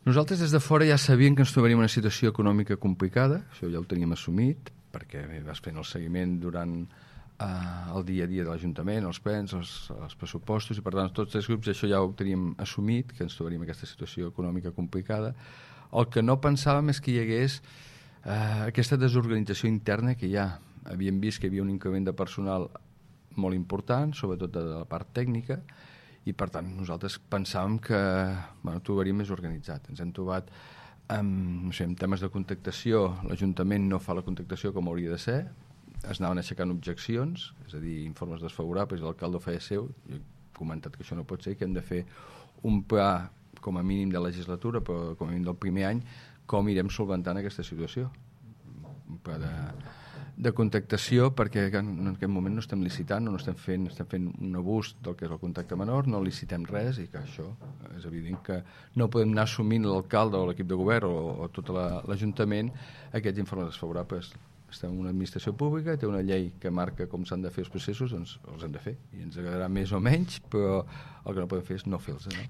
Nosaltres des de fora ja sabíem que ens trobaríem en una situació econòmica complicada, això ja ho teníem assumit, perquè vas fent el seguiment durant el dia a dia de l'Ajuntament, els plens, els pressupostos, i per tant tots els grups això ja ho teníem assumit, que ens trobaríem en aquesta situació econòmica complicada. El que no pensàvem és que hi hagués aquesta desorganització interna que ja havíem vist que hi havia un increment de personal molt important, sobretot de la part tècnica, i per tant nosaltres pensàvem que ho trobaríem més organitzat. Ens hem trobat no sé, en temes de contractació, l'Ajuntament no fa la contractació com hauria de ser, es anaven aixecant objeccions, és a dir, informes desfavorables, l'alcalde ho feia seu, jo he comentat que això no pot ser, que hem de fer un pla com a mínim de legislatura, però com a mínim del primer any, com irem solventant aquesta situació. Un pla de contractació, perquè en aquest moment no estem licitant, no estem fent un abús del que és el contracte menor, no licitem res, i que això és evident que no podem anar assumint l'alcalde o l'equip de govern o tot l'Ajuntament aquests informes desfavorables. Estem en una administració pública, té una llei que marca com s'han de fer els processos, doncs els hem de fer, i ens agradarà més o menys, però el que no podem fer és no fer-los. No?